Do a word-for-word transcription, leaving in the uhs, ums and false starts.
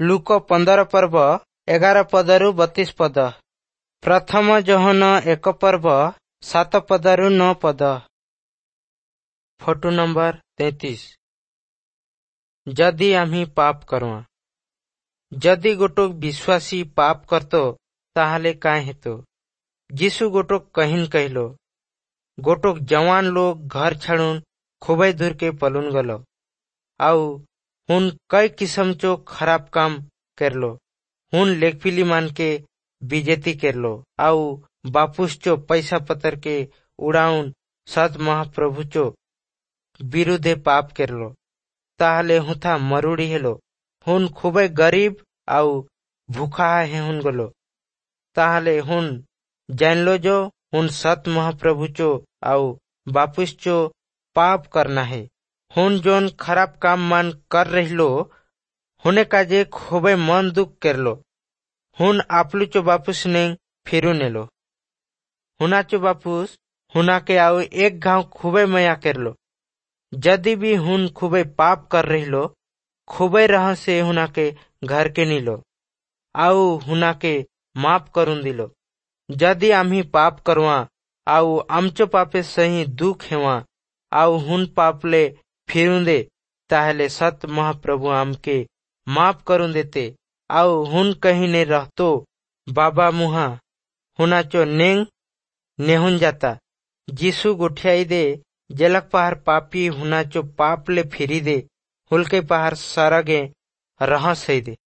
ଲୂକ ପନ୍ଦର ପର୍ବ ଏଗାର ପଦରୁ ବତିଶ ପଦ। ପ୍ରଥମ ଯୋହନ ଏକ ପର୍ବ ସାତ ପଦରୁ ନଅ ପଦ। ଫଟୋ ନମ୍ବର ତେତିଶ। ଯଦି ଆମ୍ହି ପାପ କରୁଆଁ। ଯଦି ଗୋଟୋକ ବିଶ୍ୱାସୀ ପାପ କରતો ତାହେଲେ କାଁ ହେतो? ଯୀଶୁ ଗୋଟୋକ कहिन कहिलो, गोटोक जवान लोग घर छाड़ुन खूबे दूर के पलुन गलो आउ हुन कई किस्म चो खराब काम करलो। हुन लेखपिली मान के बेइज्जती करलो आउ बापुस चो पैसा पतर के उड़ाउन सत महाप्रभु चो विरुद्धे पाप करलो। ताहले हुथा मरुड़ी हेलो। हुन खूबे गरीब आउ भूखा हेहुन गलो। ताहले हुन जानलो जो हुन सत महाप्रभु चो आउ बापुस चो पाप करना है। हुन जोन खराब काम मान कर रहिलो हुने काजे खूबे मन दुख करलो। हुन आपलू चो बापुस ने फिरू नेलो। हुना चो बापुस हुना के आउ एक घाव खूबे मया करलो। यदि भी हुन खूबे पाप कर रहिलो खूबे रह से हुना के घर के नीलो आउ हुना के माफ करून दिलो। यदि आम्ही पाप करवा आउ आमचो पापे सही दुख हेवा आउ हुन पापले फिरून दे ताहले सत महाप्रभु आमके माफ करून देते आउ हुन कहीं ने रहतो बाबा मुहा हुनाचो नेंग नेहुन जाता। यीशु गोठियाई दे जेलक पहार पापी हुनाचो पापले फिरी दे हुलके पहार सरगे रहस दे।